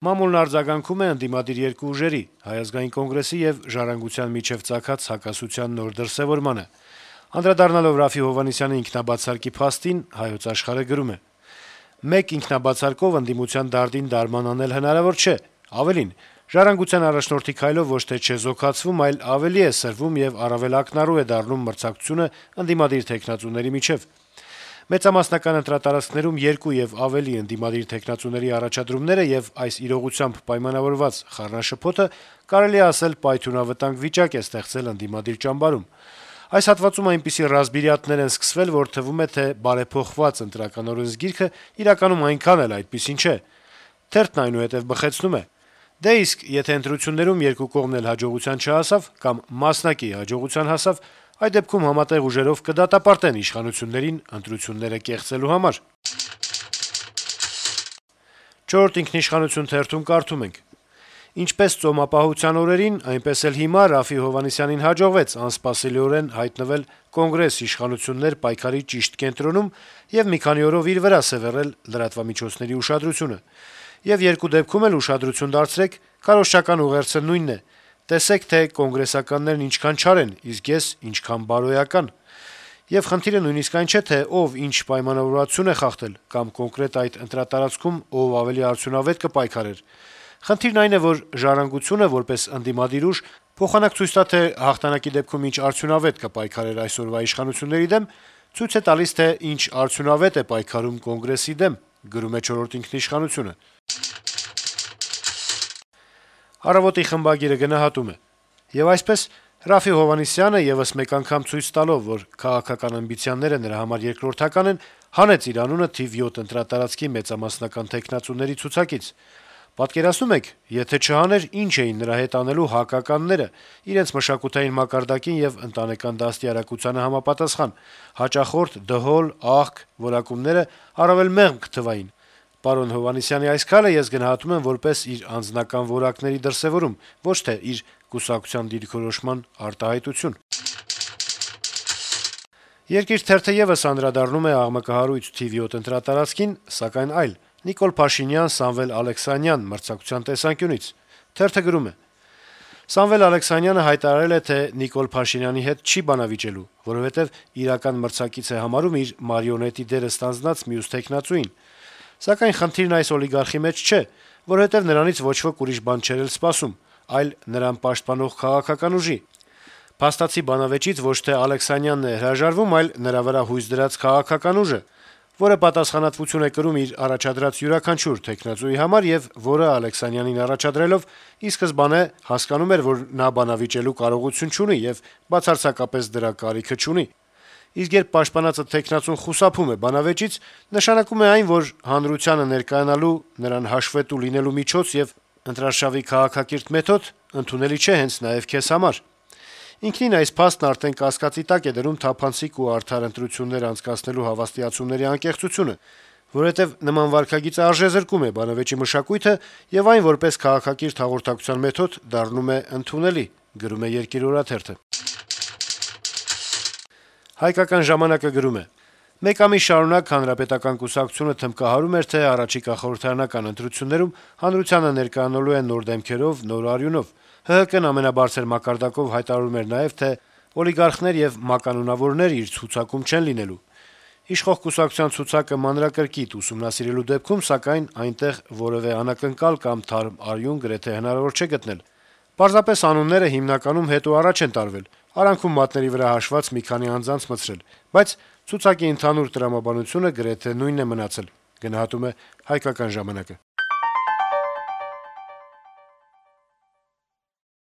Մամուլն արձագանքում է ընդդիմադիր երկու ուժերի՝ Հայ ազգային կոնգրեսի եւ Ժառանգության միջեւ ծագած հակասության նոր դրսեւորմանը։ Անդրադառնալով Րաֆֆի Հովհաննիսյանի ինքնաբացարկի փաստին, «Հայոց Աշխարհ»-ը գրում է. - «Մեկ ինքնաբացարկով ընդդիմության դարդին դարման անել հնարավոր չէ։ Ավելին, Ժառանգության առաջնորդի քայլով ոչ թե չեզոքացվում, այլ ավելի է սրվում եւ առավել ակնառու է դառնում մրցակցությունը ընդդիմադիր թեկնածուների միջեւ։ Մեծամասնական ընտրատարածքներում երկու եւ ավելի ընդդիմադիր թեկնածուների առաջադրումները եւ այս իրողությամբ պայմանավորված խառնաշփոթը կարելի է ասել պայթյունավտանգ վիճակ է ստեղծել ընդդիմադիր ճամբարում։ Այս հատվածում այնպիսի ռազմիրատներ են սկսվել, որ թվում է, թե բարեփոխված ընտրական օրենսգիրքը իրականում այնքան էլ այդպիսին չէ։ Թերթն այնուհետեւ բխեցնում է. դե իսկ եթե ընտրություններում երկու կողմն էլ հաջողության չհասավ կամ մասնակի հաջողության հասավ, այդ դեպքում համատեղ ուժերով կդատապարտեն իշխանություններին ընտրությունները կեղծելու համար»։ «Չորրորդ ինքնիշխանություն» թերթում կարդում ենք. - «Ինչպես ծոմապահության օրերին, այնպես էլ հիմա Րաֆֆի Հովհաննիսյանին հաջողվեց անսպասելիորեն հայտնվել Կոնգրես իշխանություններ պայքարի ճիշտ կենտրոնում եւ մի քանի օրով իր վրա սեւեռել լրատվամիջոցների ուշադրությունը։ Եվ երկու դեպքում էլ ուշադրություն դարձրեք, քարոզչական ուղերձը նույնն է. տեսեք, թե կոնգրեսականներն ինչքան չար են, իսկ ես ինչքան բարոյական։ Եվ խնդիրը նույնիսկ այն չէ, թե ով ինչ պայմանավորվածություն է խախտել, կամ կոնկրետ այդ ընտրատարածքում ով ավելի արդյունավետ կպայքարեր։ Խնդիրն այն է, որ Ժառանգությունը, որպես ընդդիմադիր ուժ, փոխանակ ցույց տա, թե հաղթանակի դեպքում ինչ արդյունավետ կպայքարեր այսօրվա իշխանությունների դեմ, ցույց է տալիս, թե ինչ արդյունավետ է պայքարում Կոնգրեսի դեմ», գրում է «Չորրորդ ինքնիշխանություն»-ը։ «Առավոտ»-ի խմբագիրը գնահատում է. - «Եվ այսպես Րաֆֆի Հովհաննիսյանը, եւս մեկ անգամ ցույց տալով, որ քաղաքական ամբիցիաները նրա համար երկրորդական են, հանեց իր անունը թիվ 7 ընտրատարածքի մեծամասնական թեկնածուների ցուցակից։ Պատկերացնո՞ւմ եք, եթե չհաներ, ինչ էին նրա հետ անելու հակականները՝ իրենց մշակութային մակարդակին եւ ընտանեկան դաստիարակությանը համապատասխան, հաճախորդ, դհոլ, աղք որակումները առավել մեղմ կթվային։ Պարոն Հովհաննիսյանի այս քայլը ես գնահատում եմ որպես իր անձնական որակների դրսեւորում, ոչ թե իր կուսակցության դիրքորոշման արտահայտություն»։ «Երկիր» թերթը եւս անդրադառնում է աղմկահարույց թիվ 7 ընտրատարածքին, սակայն այլ՝ Նիկոլ Փաշինյան-Սամվել Ալեքսանյան մրցակցության տեսանկյունից։ Թերթը գրում է. - «Սամվել Ալեքսանյանը հայտարարել է, թե Նիկոլ Փաշինյանի հետ չի բանավիճելու, որովհետեւ իրական մրցակից է համարում իր մարիոնետի դերը ստանձնած մյուս թեկնածուին։ Սակայն խնդիրն այս օլիգարխի մեջ չէ, որովհետեւ նրանից ոչ ոք ուրիշ բան չէր էլ սպասում, այլ նրան պաշտպանող քաղաքական ուժի։ Փաստացի բանավեճից ոչ թե Ալեքսանյանն է հրաժարվում, այլ նրա վրա հույս դրած քաղաքական ուժը, որը պատասխանատվություն է կրում իր առաջադրած յուրաքանչյուր թեկնածուի համար եւ որը Ալեքսանյանին առաջադրելով ի սկզբանե հասկանում էր, որ նա բանավիճելու կարողություն չունի եւ բացարձակապես դրա կարիքը չունի։ Իսկ երբ պաշտպանածը թեկնածուն խուսափում է բանավեճից, նշանակում է այն, որ հանրությանը ներկայանալու, նրան հաշվետու լինելու միջոց եւ ընտրարշավի քաղաքակիրթ մեթոդ ընդունելի չէ հենց նաեւ քեզ համար։ Ինքնին այս փաստն արդեն կասկածի տակ է դնում թափանցիկ ու արդար ընտրություններ անցկացնելու հավաստիացումների անկեղծությունը, որովհետեւ նման վարքագիծը արժեզրկում է բանավեճի մշակույթը եւ այն որպես քաղաքակիրթ հաղորդակցության մեթոդ դառնում է ընդունելի», գրում է «Երկիր» օրաթերթը։ «Հայկական ժամանակ»-ը գրում է. - «Մեկ ամիս շարունակ Հանրապետական կուսակցությունը թմբկահարում էր, թե առաջիկա խորհրդարանական ընտրություններում հանրությանը ներկայանալու է նոր դեմքերով, նոր արյունով։ ՀՀԿ-ն ամենաբարձր մակարդակով հայտարարում էր նաեւ, թե օլիգարխներ եւ մականունավորներ իր ցուցակում չեն լինելու։ Իշխող կուսակցության ցուցակը մանրակրկիտ ուսումնասիրելու դեպքում, սակայն, այնտեղ որեւէ անակնկալ կամ թարմ արյուն գրեթե հնարավոր չէ գտնել։ Պարզապես անունները հիմնականում հետո առաջ են տարվել, արանքում մատների վրա հաշված մի քանի անձանց մտցրել, բայց ցուցակի ընդհանուր տրամաբանությունը գրեթե նույնն է մնացել», գնահատում է «Հայկական ժամանակ»-ը։